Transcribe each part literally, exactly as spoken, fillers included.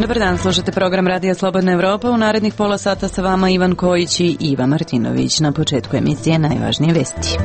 Dobar dan, slušate program Radija Slobodna Evropa. U narednih pola sata sa vama Ivan Kojić i Iva Martinović. Na početku emisije najvažnije vesti.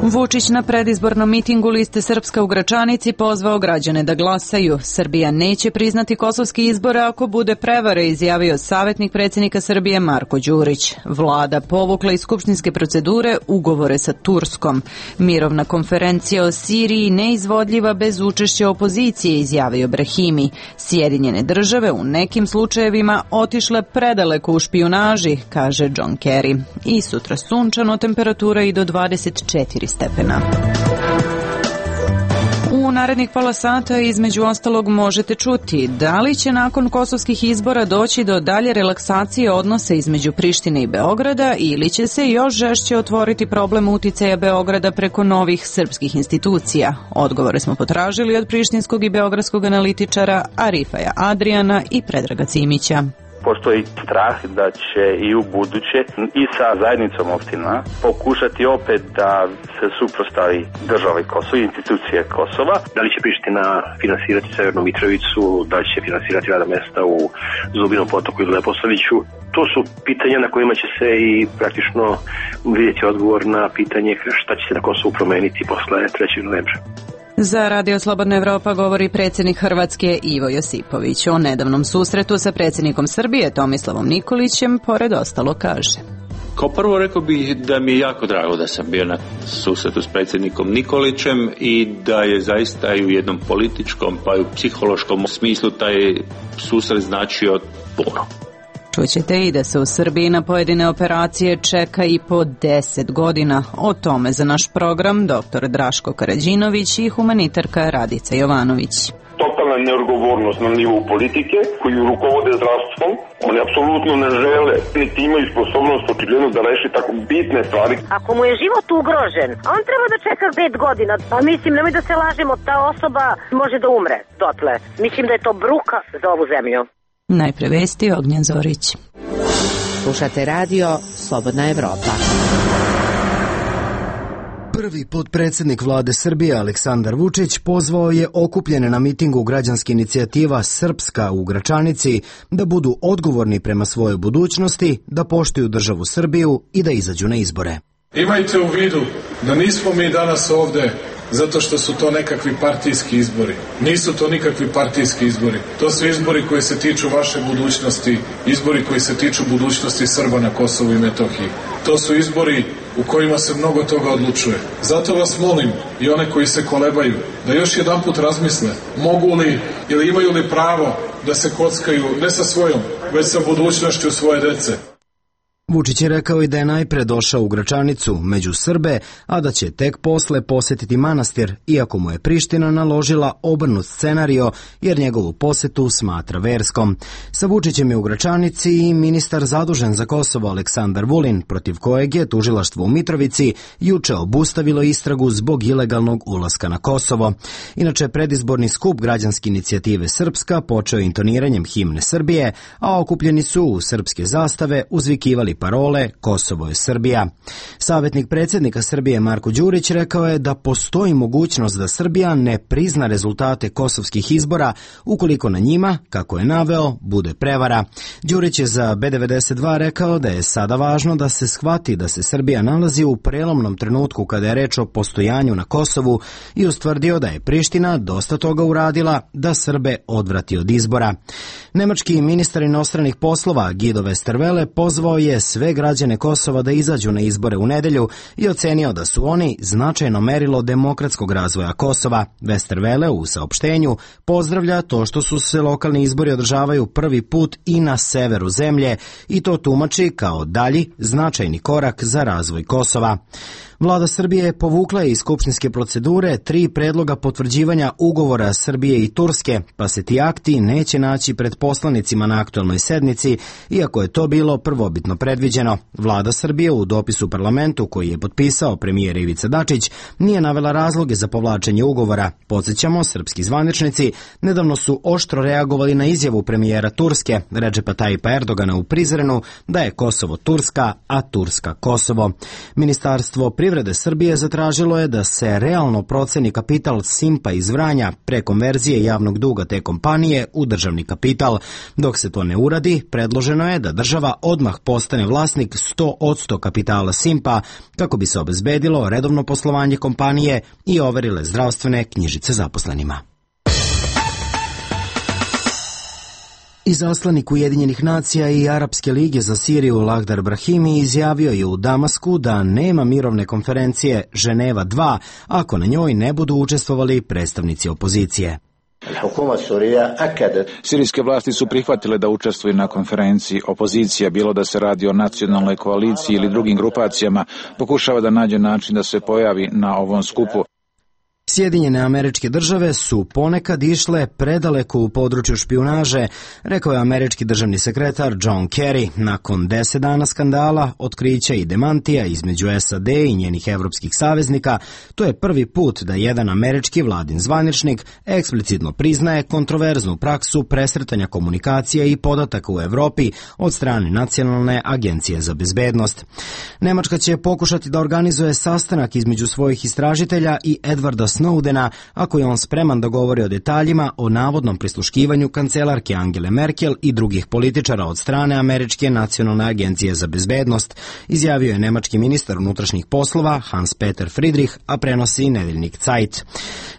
Vučić na predizbornom mitingu liste Srpska u Gračanici pozvao građane da glasaju. Srbija neće priznati kosovski izbore ako bude prevare, izjavio savjetnik predsjednika Srbije Marko Đurić. Vlada povukla iz skupštinske procedure ugovore sa Turskom. Mirovna konferencija o Siriji neizvodljiva bez učešća opozicije, izjavio Brahimi. Sjedinjene države u nekim slučajevima otišle predaleko u špijunaži, kaže John Kerry. I sutra sunčano, temperatura i do dvadeset četiri stepena. U narednih pola sata između ostalog možete čuti da li će nakon kosovskih izbora doći do dalje relaksacije odnosa između Prištine i Beograda ili će se još žešće otvoriti problem uticaja Beograda preko novih srpskih institucija. Odgovore smo potražili od prištinskog i beogradskog analitičara Arifaja Adrijana i Predraga Cimića. Postoji strah da će i u buduće i sa zajednicom opština pokušati opet da se suprostavi državi Kosova, institucije Kosova. Da li će Priština finansirati Severnu Mitrovicu, da li će finansirati rada mesta u Zubinom Potoku ili Leposaviću? To su pitanja na kojima će se i praktično vidjeti odgovor na pitanje šta će se na Kosovu promeniti posle trećeg novembra. Za Radio Slobodna Evropa govori predsjednik Hrvatske Ivo Josipović. O nedavnom susretu sa predsjednikom Srbije Tomislavom Nikolićem pored ostalo kaže. Kao prvo rekao bih da mi je jako drago da sam bio na susretu s predsjednikom Nikolićem i da je zaista i u jednom političkom pa i u psihološkom smislu taj susret značio puno. Čućete i da se u Srbiji na pojedine operacije čeka i po deset godina. O tome za naš program doktor Draško Karađinović i humanitarka Radica Jovanović. Totalna neodgovornost na nivou politike koji rukovode zdravstvom. Oni apsolutno ne žele, niti imaju sposobnost očigledno da reši tako bitne stvari. Ako mu je život ugrožen, on treba da čeka pet godina. Pa mislim, nemoj da se lažemo, ta osoba može da umre dotle. Mislim da je to bruka za ovu zemlju. Najpre vesti, Ognjen Zorić. Slušate radio Slobodna Evropa. Prvi potpredsjednik vlade Srbije Aleksandar Vučić pozvao je okupljene na mitingu građanske inicijativa Srpska u Gračanici da budu odgovorni prema svojoj budućnosti, da poštuju državu Srbiju i da izađu na izbore. Imajte u vidu da nismo mi danas ovde zato što su to nekakvi partijski izbori. Nisu to nikakvi partijski izbori. To su izbori koji se tiču vaše budućnosti, izbori koji se tiču budućnosti Srba na Kosovu i Metohiji. To su izbori u kojima se mnogo toga odlučuje. Zato vas molim i one koji se kolebaju da još jedan put razmisle mogu li ili imaju li pravo da se kockaju ne sa svojom, već sa budućnošću svoje dece. Vučić je rekao i da je najpre došao u Gračanicu među Srbe, a da će tek posle posjetiti manastir, iako mu je Priština naložila obrnut scenario jer njegovu posetu smatra verskom. Sa Vučićem je u Gračanici i ministar zadužen za Kosovo Aleksandar Vulin, protiv kojeg je tužilaštvo u Mitrovici juče obustavilo istragu zbog ilegalnog ulaska na Kosovo. Inače, predizborni skup građanske inicijative Srpska počeo intoniranjem himne Srbije, a okupljeni su u srpske zastave uzvikivali parole Kosovo je Srbija. Savjetnik predsjednika Srbije Marko Đurić rekao je da postoji mogućnost da Srbija ne prizna rezultate kosovskih izbora ukoliko na njima, kako je naveo, bude prevara. Đurić je za B devedeset dva rekao da je sada važno da se shvati da se Srbija nalazi u prelomnom trenutku kada je reč o postojanju na Kosovu i ustvrdio da je Priština dosta toga uradila da Srbe odvrati od izbora. Nemački ministar inostranih poslova Guido Westerwelle pozvao je sve građane Kosova da izađu na izbore u nedelju i ocenio da su oni značajno merilo demokratskog razvoja Kosova. Westerwelle u saopštenju pozdravlja to što su se lokalni izbori održavaju prvi put i na severu zemlje i to tumači kao dalji značajni korak za razvoj Kosova. Vlada Srbije povukla je iz skupštinske procedure tri predloga potvrđivanja ugovora Srbije i Turske, pa se ti akti neće naći pred poslanicima na aktualnoj sednici, iako je to bilo prvobitno predviđeno. Vlada Srbije u dopisu parlamentu koji je potpisao premijer Ivica Dačić nije navela razloge za povlačenje ugovora. Podsjećamo, srpski zvaničnici nedavno su oštro reagovali na izjavu premijera Turske, Redžepa Tajipa Erdogana u Prizrenu, da je Kosovo Turska, a Turska Kosovo. Ministarstvo privrede Srbije zatražilo je da se realno proceni kapital Simpa iz Vranja pre konverzije javnog duga te kompanije u državni kapital. Dok se to ne uradi, predloženo je da država odmah postane vlasnik sto posto kapitala Simpa kako bi se obezbedilo redovno poslovanje kompanije i overile zdravstvene knjižice zaposlenima. Izaslanik Ujedinjenih nacija i Arapske lige za Siriju Lakhdar Brahimi izjavio je u Damasku da nema mirovne konferencije Ženeva dva ako na njoj ne budu učestvovali predstavnici opozicije. Sirijske vlasti su prihvatile da učestvuju na konferenciji. Opozicija, bilo da se radi o nacionalnoj koaliciji ili drugim grupacijama, pokušava da nađe način da se pojavi na ovom skupu. Sjedinjene Američke Države su ponekad išle predaleko u području špijunaže, rekao je američki državni sekretar John Kerry. Nakon deset dana skandala, otkrića i demantija između S A D i njenih evropskih saveznika, to je prvi put da jedan američki vladin zvaničnik eksplicitno priznaje kontroverznu praksu presretanja komunikacija i podataka u Evropi od strane Nacionalne agencije za bezbednost. Nemačka će pokušati da organizuje sastanak između svojih istražitelja i Edwarda Snowdena, ako je on spreman da govori o detaljima o navodnom prisluškivanju kancelarke Angele Merkel i drugih političara od strane Američke nacionalne agencije za bezbednost, izjavio je nemački ministar unutrašnjih poslova Hans-Peter Friedrich, a prenosi nedeljnik Zeit.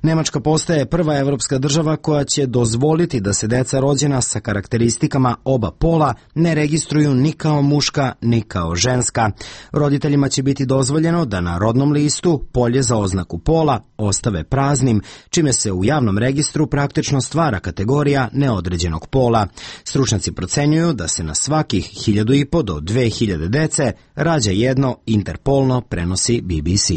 Nemačka postaje prva evropska država koja će dozvoliti da se deca rođena sa karakteristikama oba pola ne registruju ni kao muška ni kao ženska. Roditeljima će biti dozvoljeno da na rodnom listu polje za oznaku pola ostave praznim, čime se u javnom registru praktično stvara kategorija neodređenog pola. Stručnjaci procenjuju da se na svakih hiljadu i po do dve hiljade dece rađa jedno interpolno, prenosi B B C.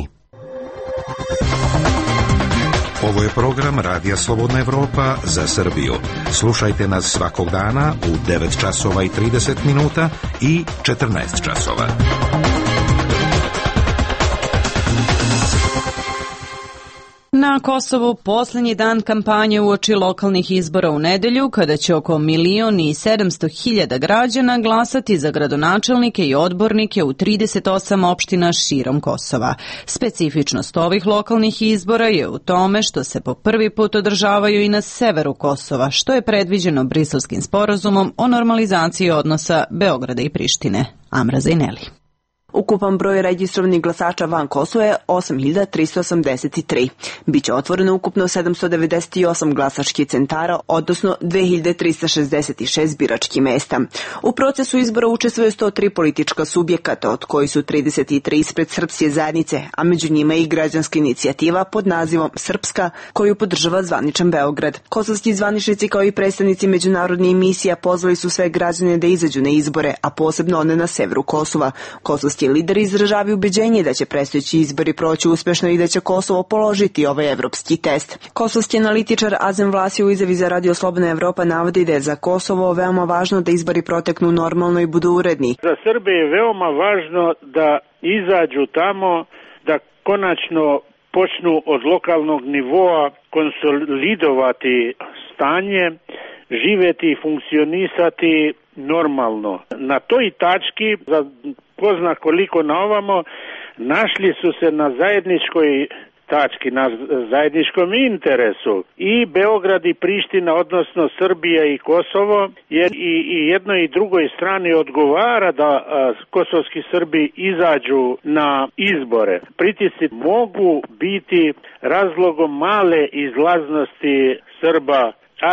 Ovo je program Radija Slobodna Evropa za Srbiju. Slušajte nas svakog dana u devet časova i trideset minuta i četrnaest časova. Na Kosovu posljednji dan kampanje uoči lokalnih izbora u nedelju, kada će oko milion i sedamsto hiljada građana glasati za gradonačelnike i odbornike u trideset osam opština širom Kosova. Specifičnost ovih lokalnih izbora je u tome što se po prvi put održavaju i na severu Kosova, što je predviđeno Briselskim sporazumom o normalizaciji odnosa Beograda i Prištine. Amra Zajneli. Ukupan broj registrovanih glasača van Kosova je osam hiljada tristo osamdeset tri. Biće otvoreno ukupno sedamsto devedeset osam glasačkih centara, odnosno dve hiljade trista šezdeset šest biračkih mesta. U procesu izbora učestvuje sto tri politička subjekata, od koji su trideset tri ispred srpske zajednice, a među njima i građanska inicijativa pod nazivom Srpska, koju podržava zvaničan Beograd. Kosovski zvaničnici kao i predstavnici međunarodnih misija pozvali su sve građane da izađu na izbore, a posebno one na severu Kosova. Kosovski lideri izražavaju ubeđenje da će predstojeći izbori proći uspešno i da će Kosovo položiti ovaj evropski test. Kosovski analitičar Azem Vlasi u izjavi za Radio Slobodna Evropa navodi da je za Kosovo veoma važno da izbori proteknu normalno i budu uredni. Za Srbe je veoma važno da izađu tamo, da konačno počnu od lokalnog nivoa konsolidovati stanje, živeti i funkcionisati normalno. Na toj tački, za ko zna koliko na ovamo, našli su se na zajedničkoj tački, na zajedničkom interesu i Beograd i Priština, odnosno Srbija i Kosovo, jer i, i jednoj i drugoj strani odgovara da a, kosovski Srbi izađu na izbore. Pritisci mogu biti razlogom male izlaznosti Srba,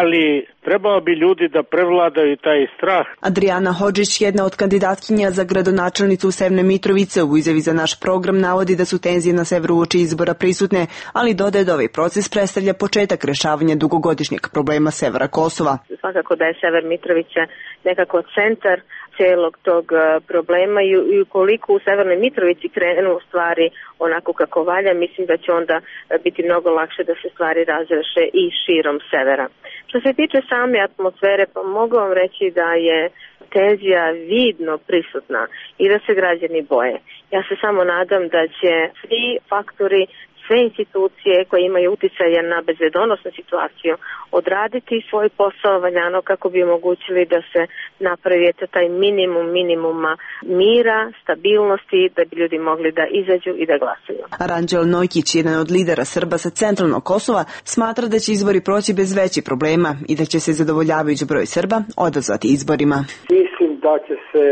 ali trebao bi ljudi da prevladaju taj strah. Adriana Hodžić, jedna od kandidatkinja za gradonačelnicu Severne Mitrovice, u izjavi za naš program navodi da su tenzije na severu uoči izbora prisutne, ali dodaje da ovaj proces predstavlja početak rešavanja dugogodišnjeg problema severa Kosova. Svakako da je Sever Mitrovice nekako centar celog tog problema i ukoliko u Severnoj Mitrovici krenu stvari onako kako valja, mislim da će onda biti mnogo lakše da se stvari razreše i širom severa. Što se tiče same atmosfere, pa mogu vam reći da je tenzija vidno prisutna i da se građani boje. Ja se samo nadam da će svi faktori, sve institucije koje imaju uticaja na bezbedonosnu situaciju odraditi svoj posao valjano kako bi omogućili da se napravi taj minimum minimuma mira, stabilnosti, da bi ljudi mogli da izađu i da glasuju. Ranđel Nojkić, jedan od lidera Srba sa centralnog Kosova, smatra da će izbori proći bez većih problema i da će se zadovoljavajući broj Srba odazvati izborima. Mislim da će se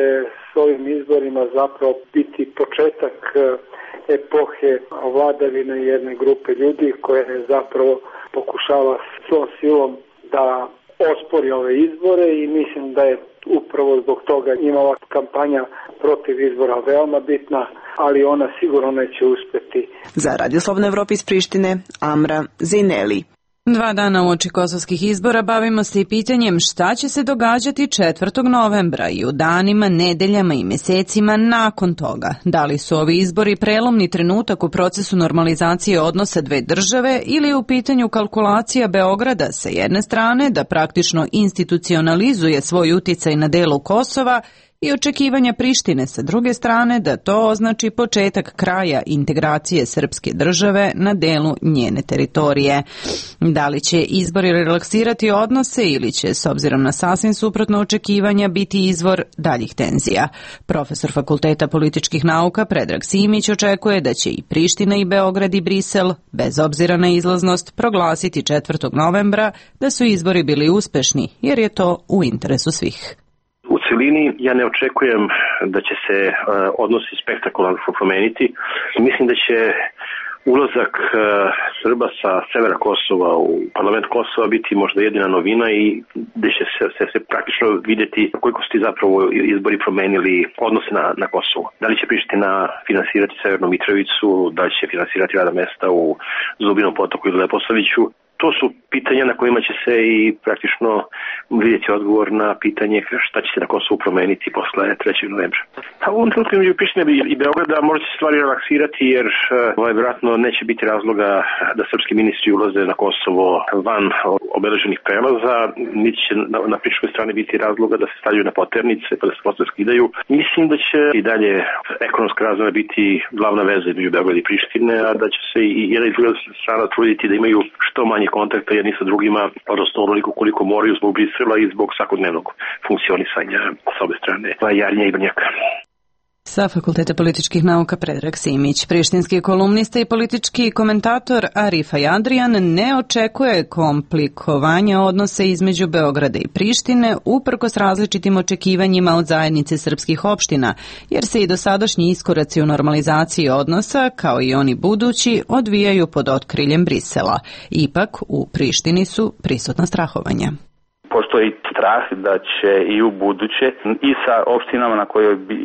s ovim izborima zapravo biti početak epohe vladavine jedne grupe ljudi koje zapravo pokušava svom silom da ospori ove izbore i mislim da je upravo zbog toga njima ova kampanja protiv izbora veoma bitna, ali ona sigurno neće uspjeti. Za Radio Slobodna Evropa iz Prištine, Amra Zejneli. Dva dana uoči kosovskih izbora bavimo se i pitanjem šta će se događati četvrtog novembra i u danima, nedeljama i mesecima nakon toga. Da li su ovi izbori prelomni trenutak u procesu normalizacije odnosa dve države ili je u pitanju kalkulacija Beograda sa jedne strane da praktično institucionalizuje svoj uticaj na delu Kosova i očekivanja Prištine sa druge strane da to označi početak kraja integracije srpske države na delu njene teritorije. Da li će izbori relaksirati odnose ili će, s obzirom na sasvim suprotno očekivanja, biti izvor daljih tenzija? Profesor Fakulteta političkih nauka Predrag Simić očekuje da će i Priština i Beograd i Brisel, bez obzira na izlaznost, proglasiti četvrtog novembra da su izbori bili uspešni, jer je to u interesu svih. U celini ja ne očekujem da će se uh, odnosi spektakularno promeniti. Mislim da će ulazak uh, Srba sa severa Kosova u parlament Kosova biti možda jedina novina i da će se, se, se praktično vidjeti koliko su ti zapravo izbori promenili odnose na, na Kosovu. Da li će Priština finansirati Severnu Mitrovicu, da li će finansirati rada mesta u Zubinom Potoku ili Leposaviću. To su pitanja na kojima će se i praktično vidjeti odgovor na pitanje šta će se na Kosovu promeniti posle trećeg novembra. A u ovom trenutku između Prištine i Beograda možda će stvari relaksirati jer ovaj, vjerojatno neće biti razloga da srpski ministri ulaze na Kosovo van obeleženih prelaza, niti će na, na prištinskoj strani biti razloga da se stavljaju na poternice pa da se posle skidaju. Mislim da će i dalje ekonomska razmena biti glavna veza između Beograda i Prištine, a da će se i jedna i druga strana truditi da imaju što manje kontakta jedni sa drugima, odnosno onoliko koliko moraju zbog Brisela i zbog svakodnevnog funkcionisanja s obe strane Jarnja i Brnjaka. Sa Fakulteta političkih nauka Predrag Simić. Prištinski kolumnista i politički komentator Arifaj Adrian ne očekuje komplikovanja odnose između Beograda i Prištine uprkos različitim očekivanjima od zajednice srpskih opština, jer se i dosadašnji iskoraci u normalizaciji odnosa, kao i oni budući, odvijaju pod otkriljem Brisela. Ipak, u Prištini su prisutna strahovanja. Postoji strah da će i u buduće i sa opštinama na kojoj bi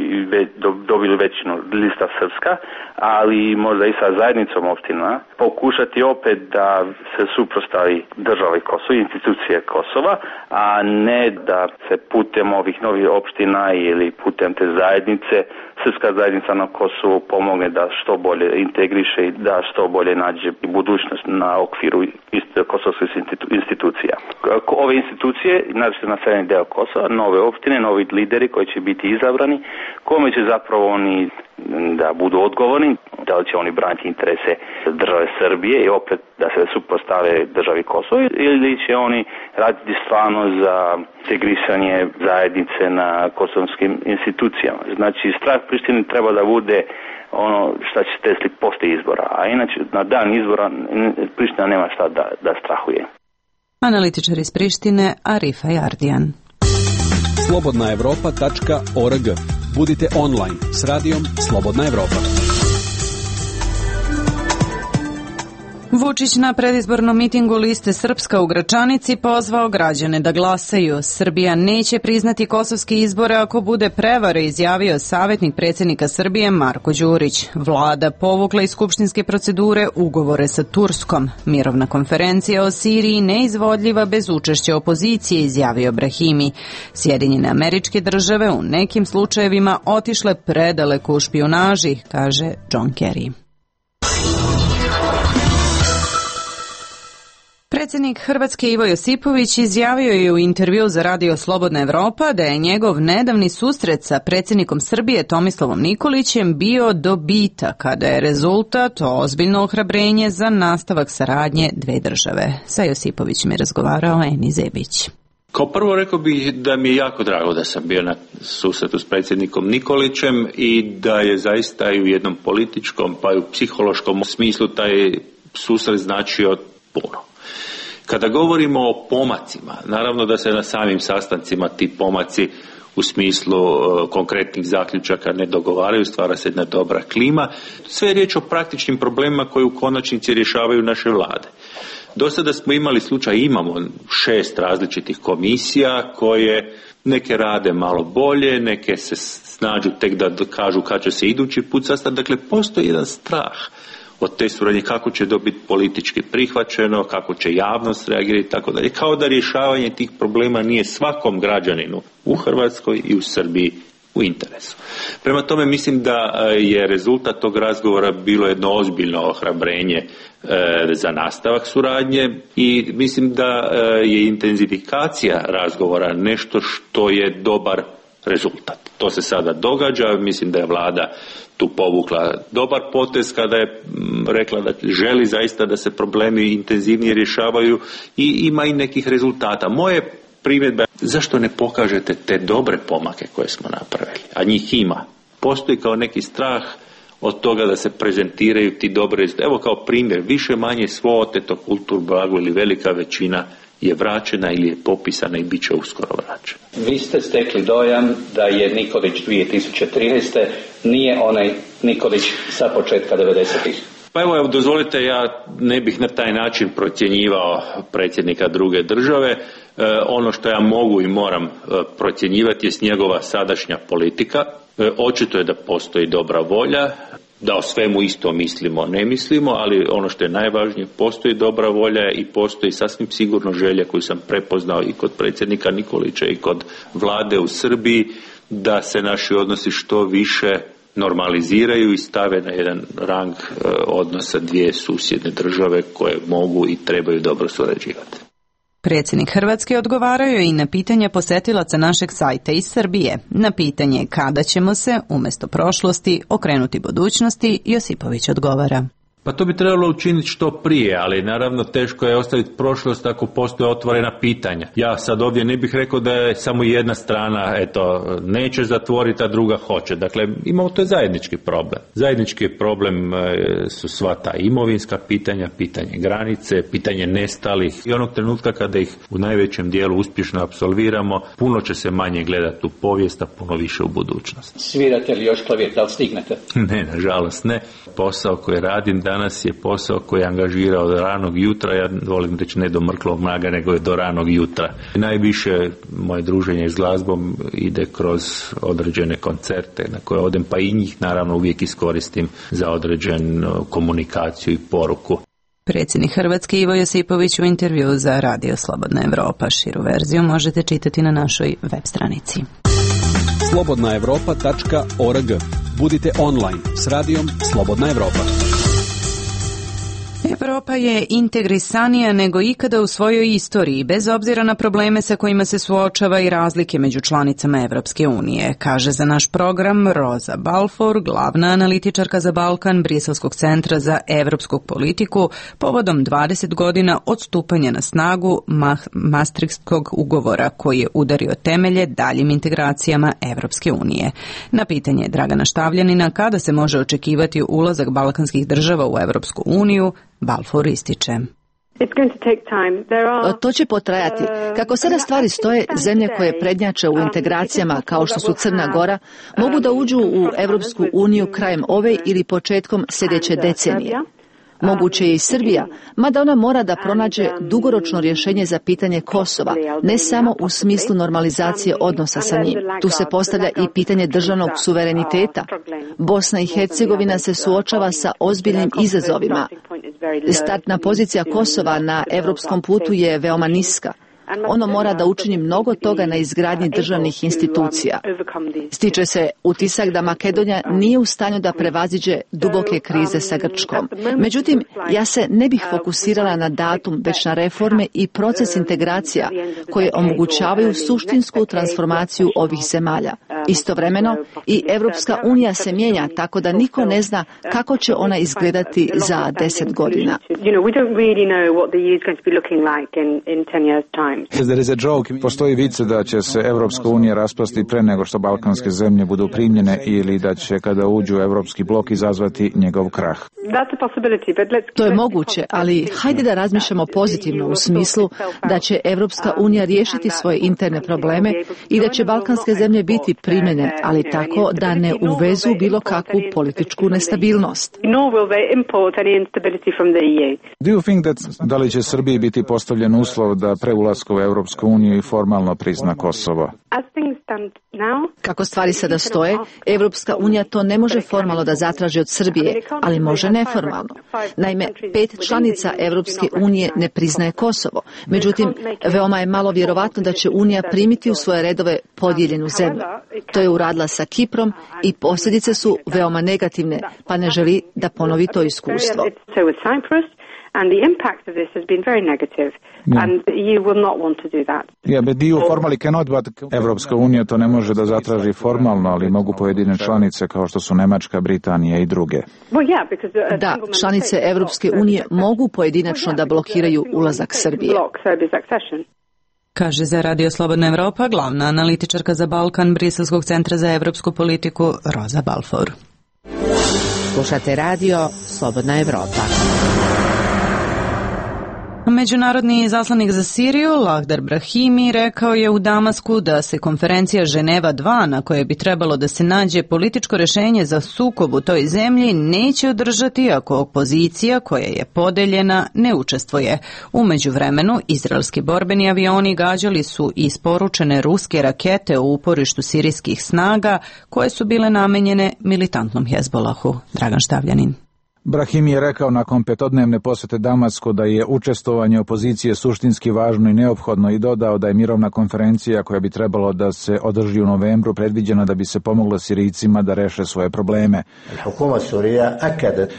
dobili većinu lista srpska, ali možda i sa zajednicom opština, pokušati opet da se suprostavi državi Kosova, institucije Kosova, a ne da se putem ovih novih opština ili putem te zajednice srpska zajednica na Kosovu pomogne da što bolje integriše i da što bolje nađe budućnost na okviru kosovskih institucija. Ove institucije, naročito na severni deo Kosova, nove opštine, novi lideri koji će biti izabrani, kome će zapravo oni da budu odgovorni, da li će oni braniti interese države Srbije i opet da se suprotstave državi Kosovo ili će oni raditi stvarno za integrisanje zajednice na kosovskim institucijama. Znači, strah Prištine treba da bude ono šta će se desiti posle izbora, a inače na dan izbora Priština nema šta da, da strahuje. Analitičar iz Prištine Arifaj Ardijan. slobodna evropa tačka org. Budite online s radijom Slobodna Evropa. Vučić na predizbornom mitingu liste Srpska u Gračanici pozvao građane da glasaju. Srbija neće priznati kosovske izbore ako bude prevare, izjavio savjetnik predsjednika Srbije Marko Đurić. Vlada povukla iz skupštinske procedure ugovore sa Turskom. Mirovna konferencija o Siriji neizvodljiva bez učešća opozicije, izjavio Brahimi. Sjedinjene Američke Države u nekim slučajevima otišle predaleko u špijunaži, kaže John Kerry. Predsjednik Hrvatske Ivo Josipović izjavio je u intervju za Radio Slobodna Evropa da je njegov nedavni susret sa predsjednikom Srbije Tomislavom Nikolićem bio dobitak, kada je rezultat ozbiljno ohrabrenje za nastavak saradnje dve države. Sa Josipovićem je razgovarao Eni Zebić. Kao prvo rekao bih da mi je jako drago da sam bio na susretu s predsjednikom Nikolićem i da je zaista i u jednom političkom pa i u psihološkom smislu taj susret značio puno. Kada govorimo o pomacima, naravno da se na samim sastancima ti pomaci u smislu uh, konkretnih zaključaka ne dogovaraju, stvara se jedna dobra klima. Sve je riječ o praktičnim problemima koji u konačnici rješavaju naše vlade. Do sada smo imali slučaj, imamo šest različitih komisija koje neke rade malo bolje, neke se snađu tek da kažu kad će se idući put sastati. Dakle, postoji jedan strah od te suradnje, kako će to biti politički prihvaćeno, kako će javnost reagirati, tako dalje. Kao da rješavanje tih problema nije svakom građaninu u Hrvatskoj i u Srbiji u interesu. Prema tome mislim da je rezultat tog razgovora bilo jedno ozbiljno ohrabrenje e, za nastavak suradnje i mislim da je intenzifikacija razgovora nešto što je dobar rezultat. To se sada događa, mislim da je vlada tu povukla dobar potez kada je rekla da želi zaista da se problemi intenzivnije rješavaju i ima i nekih rezultata. Moje primjedbe, zašto ne pokažete te dobre pomake koje smo napravili, a njih ima. Postoji kao neki strah od toga da se prezentiraju ti dobre, evo kao primjer, više manje svo oteto kulturno blago ili velika većina je vraćena ili je popisana i bit će uskoro vraćena. Vi ste stekli dojam da je Nikolić dvije tisuće trinaeste nije onaj Nikolić sa početka devedesetih. Pa evo, dozvolite, ja ne bih na taj način procjenjivao predsjednika druge države. E, ono što ja mogu i moram e, procjenjivati je njegova sadašnja politika. E, očito je da postoji dobra volja, da o svemu isto mislimo, ne mislimo, ali ono što je najvažnije, postoji dobra volja i postoji sasvim sigurno želja koju sam prepoznao i kod predsjednika Nikolića i kod vlade u Srbiji, da se naši odnosi što više normaliziraju i stave na jedan rang e, odnosa dvije susjedne države koje mogu i trebaju dobro surađivati. Predsjednik Hrvatske odgovarao je i na pitanje posetilaca našeg sajta iz Srbije. Na pitanje kada ćemo se, umjesto prošlosti, okrenuti budućnosti, Josipović odgovara. Pa to bi trebalo učiniti što prije, ali naravno teško je ostaviti prošlost ako postoje otvorena pitanja. Ja sad ovdje ne bih rekao da je samo jedna strana, eto, neće zatvoriti, a druga hoće. Dakle, imamo to je zajednički problem. Zajednički problem su sva ta imovinska pitanja, pitanje granice, pitanje nestalih i onog trenutka kada ih u najvećem dijelu uspješno apsolviramo, puno će se manje gledati u povijest, a puno više u budućnost. Svirate li još klavir, da li stignete? Ne, nažalost ne. Posao koji radim danas je posao koji je angažirao do ranog jutra, ja volim reći ne do mrklog mraga, nego je do ranog jutra. Najviše moje druženje s glazbom ide kroz određene koncerte na koje odem, pa i njih naravno uvijek iskoristim za određenu komunikaciju i poruku. Predsjednik Hrvatske Ivo Josipović u intervju za Radio Slobodna Evropa. Širu verziju možete čitati na našoj web stranici. slobodna evropa tačka org. Budite online s radijom Slobodna Evropa. Evropa je integrisanija nego ikada u svojoj istoriji, bez obzira na probleme sa kojima se suočava i razlike među članicama Evropske unije, kaže za naš program Roza Balfour, glavna analitičarka za Balkan Briselskog centra za evropsku politiku, povodom dvadeset godina od stupanja na snagu Maastrichtskog ugovora koji je udario temelje daljim integracijama Evropske unije. Na pitanje Dragana Štavljanina kada se može očekivati ulazak balkanskih država u Evropsku uniju, Balfour ističe. To će potrajati. Kako sada stvari stoje, zemlje koje prednjače u integracijama kao što su Crna Gora mogu da uđu u Evropsku uniju krajem ove ili početkom sljedeće decenije. Moguće je i Srbija, mada ona mora da pronađe dugoročno rješenje za pitanje Kosova, ne samo u smislu normalizacije odnosa sa njim. Tu se postavlja i pitanje državnog suvereniteta. Bosna i Hercegovina se suočava sa ozbiljnim izazovima. Startna pozicija Kosova na evropskom putu je veoma niska. Ono mora da učini mnogo toga na izgradnji državnih institucija. Stiče se utisak da Makedonija nije u stanju da prevaziđe duboke krize sa Grčkom. Međutim, ja se ne bih fokusirala na datum, već na reforme i proces integracija koje omogućavaju suštinsku transformaciju ovih zemalja. Istovremeno, i Evropska unija se mijenja, tako da niko ne zna kako će ona izgledati za deset godina. Postoji vice da će se Evropska unija raspasti pre nego što balkanske zemlje budu primljene ili da će kada uđu u Evropski blok izazvati njegov krah. To je moguće, ali hajde da razmišljamo pozitivno u smislu da će Evropska unija riješiti svoje interne probleme i da će balkanske zemlje biti primljene, ali tako da ne uvezu bilo kakvu političku nestabilnost. Do you think that, da li će Srbiji biti postavljen uslov da pre ulaska u Evropsku uniju i formalno prizna Kosovo? Kako stvari sada stoje, Evropska unija to ne može formalno da zatraži od Srbije, ali može neformalno. Naime, pet članica Evropske unije ne priznaje Kosovo. Međutim, veoma je malo vjerovatno da će Unija primiti u svoje redove podijeljenu zemlju. To je uradila sa Kiprom i posljedice su veoma negativne, pa ne želi da ponovi to iskustvo. And the impact of this has been very negative, yeah. and you will not want to do that. Yeah, but you formally cannot, but Evropska unija to ne može da zatraži formalno, ali mogu pojedine članice kao što su Nemačka, Britanija i druge. Well, yeah, because da, članice Evropske unije mogu pojedinačno da blokiraju ulazak Srbije. Kaže za Radio Slobodna Evropa glavna analitičarka za Balkan Briselskog centra za evropsku politiku Roza Balfour. Slušate Radio Slobodna Evropa. Međunarodni izaslanik za Siriju, Lahdar Brahimi, rekao je u Damasku da se konferencija Ženeva dva, na kojoj bi trebalo da se nađe političko rješenje za sukob u toj zemlji, neće održati ako opozicija, koja je podeljena, ne učestvuje. U međuvremenu, izraelski borbeni avioni gađali su isporučene ruske rakete u uporištu sirijskih snaga, koje su bile namenjene militantnom Hezbolahu. Dragan Štavljanin. Brahimi je rekao nakon petodnevne posjete Damasku da je učestvovanje opozicije suštinski važno i neophodno i dodao da je mirovna konferencija koja bi trebalo da se održi u novembru predviđena da bi se pomoglo Sirijcima da reše svoje probleme.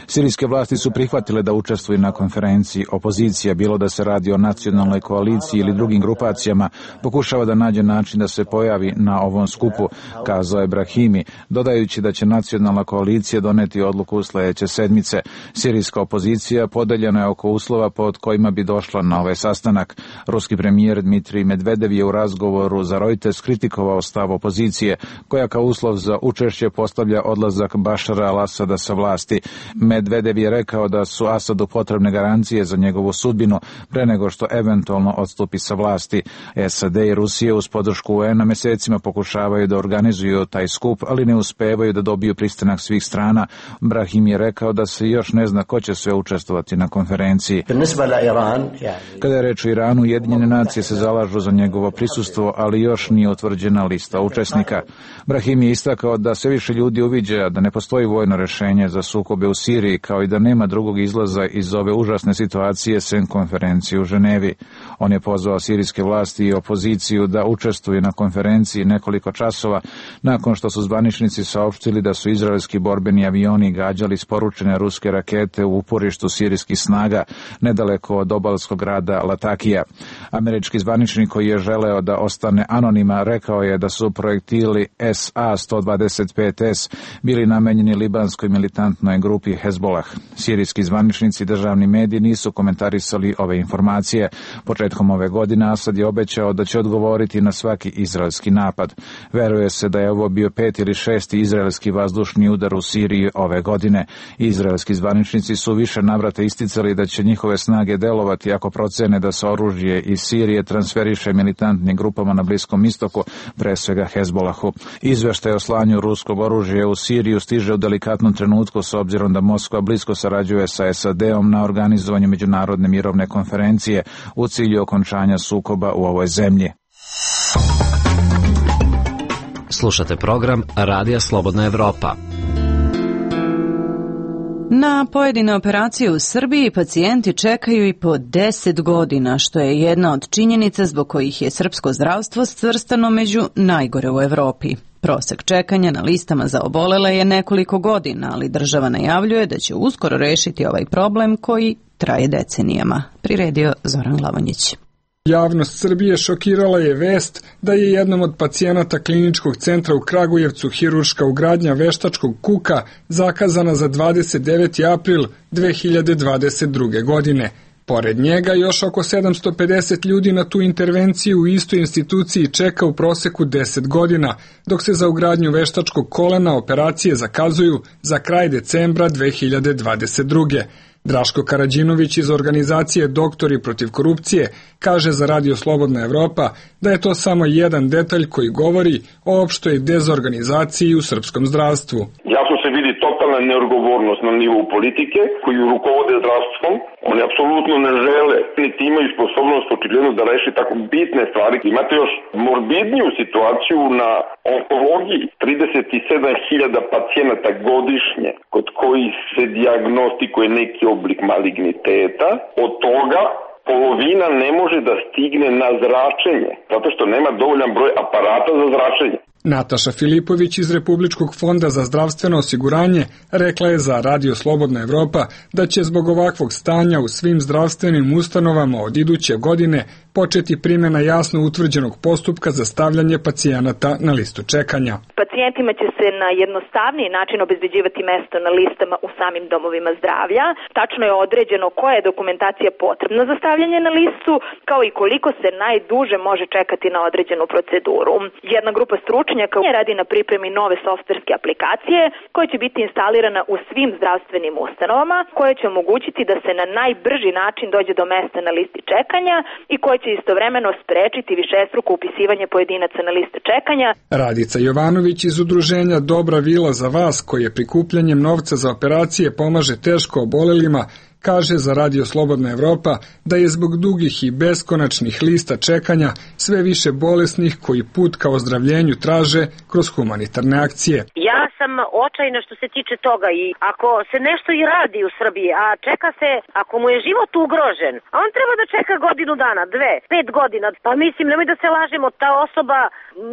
Sirijske vlasti su prihvatile da učestvuju na konferenciji. Opozicija, bilo da se radi o nacionalnoj koaliciji ili drugim grupacijama, pokušava da nađe način da se pojavi na ovom skupu, kazao je Brahimi, dodajući da će nacionalna koalicija doneti odluku u sljedeće sedmice. Sirijska opozicija podeljena je oko uslova pod kojima bi došla na ovaj sastanak. Ruski premijer Dmitrij Medvedev je u razgovoru za Reuters kritikovao stav opozicije, koja kao uslov za učešće postavlja odlazak Bašara al-Asada sa vlasti. Medvedev je rekao da su Asadu potrebne garancije za njegovu sudbinu pre nego što eventualno odstupi sa vlasti. S A D i Rusija uz podršku U N-a mjesecima pokušavaju da organizuju taj skup, ali ne uspevaju da dobiju pristanak svih strana. Brahim je rekao da se još ne zna ko će sve učestvovati na konferenciji. Kada je reč o Iranu, Ujedinjene nacije se zalažu za njegovo prisustvo, ali još nije utvrđena lista učesnika. Brahim je istakao da sve više ljudi uviđa da ne postoji vojno rješenje za sukobe u Siriji, kao i da nema drugog izlaza iz ove užasne situacije sem konferencije u Ženevi. On je pozvao sirijske vlasti i opoziciju da učestvuju na konferenciji nekoliko časova nakon što su zvaničnici saopštili da su izraelski borbeni avioni gađali isporučene ruske rakete u uporištu sirijskih snaga nedaleko od obalskog grada Latakija. Američki zvaničnik koji je želeo da ostane anonima rekao je da su projektili S A sto dvadeset pet S bili namenjeni libanskoj militantnoj grupi Hezbolah. Sirijski zvaničnici i državni mediji nisu komentarisali ove informacije. Početkom ove godine Asad je obećao da će odgovoriti na svaki izraelski napad. Veruje se da je ovo bio peti ili šesti izraelski vazdušni udar u Siriji ove godine. Izraelski zvaničnici su više navrata isticali da će njihove snage delovati ako procene da se oružje iz Sirije transferiše militantnim grupama na Bliskom istoku, pre svega Hezbolahu. Izveštaj o slanju ruskog oružja u Siriju stiže u delikatnom trenutku s obzirom da Moskva blisko sarađuje sa S A D-om na organizovanju međunarodne mirovne konferencije u cilju okončanja sukoba u ovoj zemlji. Slušate program Radija Slobodna Evropa. Na pojedine operacije u Srbiji pacijenti čekaju i po deset godina, što je jedna od činjenica zbog kojih je srpsko zdravstvo svrstano među najgore u Evropi. Prosek čekanja na listama za obolele je nekoliko godina, ali država najavljuje da će uskoro rešiti ovaj problem koji traje decenijama. Priredio Zoran Glavonjić. Javnost Srbije šokirala je vest da je jednom od pacijenata kliničkog centra u Kragujevcu hirurška ugradnja veštačkog kuka zakazana za dvadeset deveti april dve hiljade dvadeset druge. godine. Pored njega još oko sedamsto pedeset ljudi na tu intervenciju u istoj instituciji čeka u proseku deset godina, dok se za ugradnju veštačkog kolena operacije zakazuju za kraj decembra dve hiljade dvadeset druge. Draško Karađinović iz organizacije Doktori protiv korupcije kaže za Radio Slobodna Evropa da je to samo jedan detalj koji govori o opštoj dezorganizaciji u srpskom zdravstvu. Jasno se vidi totalna neodgovornost na nivou politike koji rukovode zdravstvom. Oni apsolutno ne žele, niti imaju sposobnost očigledno da reši tako bitne stvari. Imate još morbidniju situaciju na onkologiji. trideset sedam hiljada pacijenata godišnje kod kojih se dijagnostikuje neki oblik maligniteta. Od toga polovina ne može da stigne na zračenje, zato što nema dovoljan broj aparata za zračenje. Nataša Filipović iz Republičkog fonda za zdravstveno osiguranje rekla je za Radio Slobodna Evropa da će zbog ovakvog stanja u svim zdravstvenim ustanovama od iduće godine početi primjena jasno utvrđenog postupka za stavljanje pacijenata na listu čekanja. Pacijentima će se na jednostavniji način obezbeđivati mesto na listama u samim domovima zdravlja. Tačno je određeno koja je dokumentacija potrebna za stavljanje na listu, kao i koliko se najduže može čekati na određenu proceduru. Jedna grupa stručnjaka radi na pripremi nove softverske aplikacije koja će biti instalirana u svim zdravstvenim ustanovama, koja će omogućiti da se na najbrži način dođe do mesta na listi čekanja i koja će istovremeno sprečiti višestruko upisivanje pojedinaca na liste čekanja. Radica Jovanović iz udruženja Dobra vila za vas, koje prikupljanjem novca za operacije pomaže teško obolelima, kaže za Radio Slobodna Evropa da je zbog dugih i beskonačnih lista čekanja sve više bolesnih koji put ka ozdravljenju traže kroz humanitarne akcije. Ja sam očajna što se tiče toga i ako se nešto i radi u Srbiji, a čeka se, ako mu je život ugrožen, a on treba da čeka godinu dana, dve, pet godina, pa mislim, nemoj da se lažemo, ta osoba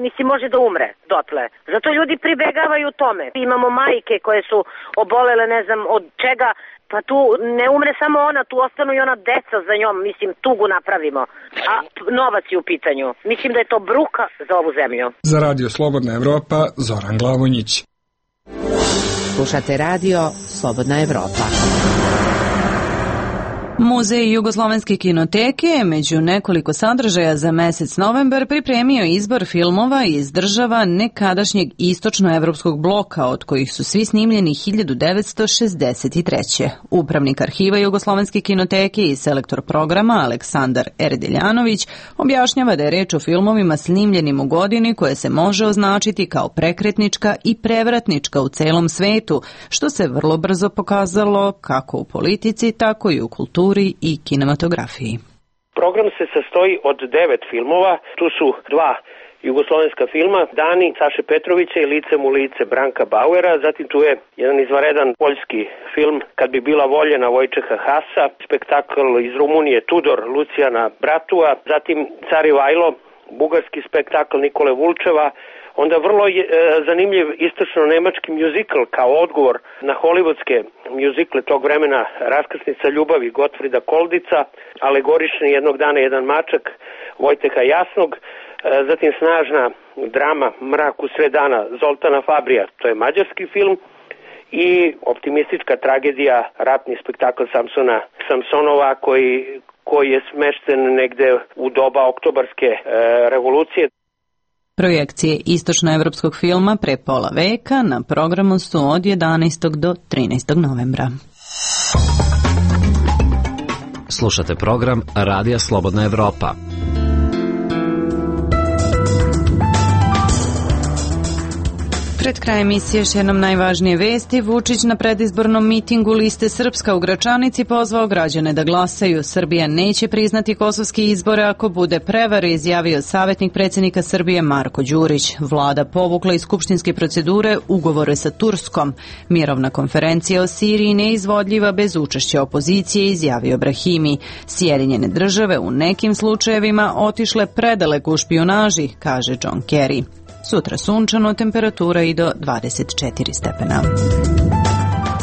mislim može da umre dotle. Zato ljudi pribegavaju tome. Imamo majke koje su obolele ne znam od čega. Pa tu ne umre samo ona, tu ostanu i ona deca za njom, mislim, tugu napravimo. A novac je u pitanju. Mislim da je to bruka za ovu zemlju. Za Radio Slobodna Evropa, Zoran Glavonjić. Slušate Radio Slobodna Evropa. Muzej Jugoslovenske kinoteke je među nekoliko sadržaja za mesec novembar pripremio izbor filmova iz država nekadašnjeg istočnoevropskog bloka, od kojih su svi snimljeni hiljadu devetsto šezdeset treće. Upravnik arhiva Jugoslovenske kinoteke i selektor programa Aleksandar Erdeljanović objašnjava da je reč o filmovima snimljenim u godini koje se može označiti kao prekretnička i prevratnička u celom svetu, što se vrlo brzo pokazalo kako u politici, tako i u kulturi i kinematografiji. Program se sastoji od devet filmova, tu su dva jugoslovenska filma, Dani Saše Petrovića i Licem u lice Branka Bauera, zatim tu je jedan izvanredan poljski film Kad bi bila voljena Vojčeha Hasa, spektakl iz Rumunije Tudor Lucijana Bratua, zatim Car Ivajlo, bugarski spektakl Nikole Vulčeva, onda vrlo je, e, zanimljiv istočno-nemački mjuzikl kao odgovor na hollywoodske mjuzikle tog vremena, Raskrsnica ljubavi Gotfrida Koldica, alegorični Jednog dana jedan mačak Vojteha Jasnog, e, zatim snažna drama Mrak u sred dana Zoltana Fabrija, to je mađarski film, i optimistička tragedija, ratni spektakl Samsona Samsonova koji, koji je smešten negde u doba oktobarske e, revolucije. Projekcije istočnoevropskog filma pre pola veka na programu su od jedanaestog do trinaestog novembra. Slušate program Radija Slobodna Evropa. Pred kraj emisije još jednom najvažnije vesti. Vučić na predizbornom mitingu liste Srpska u Gračanici pozvao građane da glasaju. Srbija neće priznati kosovski izbore ako bude prevare, izjavio savjetnik predsjednika Srbije Marko Đurić. Vlada povukla iz skupštinske procedure ugovore sa Turskom. Mirovna konferencija o Siriji neizvodljiva bez učešća opozicije, izjavio Brahimi. Sjedinjene države u nekim slučajevima otišle predaleko u špijunaži, kaže John Kerry. Sutra sunčano, temperatura i do dvadeset četiri stepena.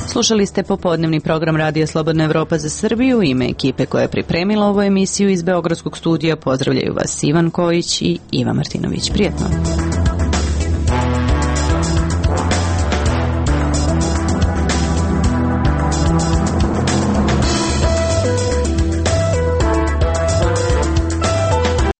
Slušali ste popodnevni program Radija Slobodna Evropa za Srbiju. U ime ekipe koja je pripremila ovu emisiju iz Beogradskog studija pozdravljaju vas Ivan Kojić i Iva Martinović. Prijetno.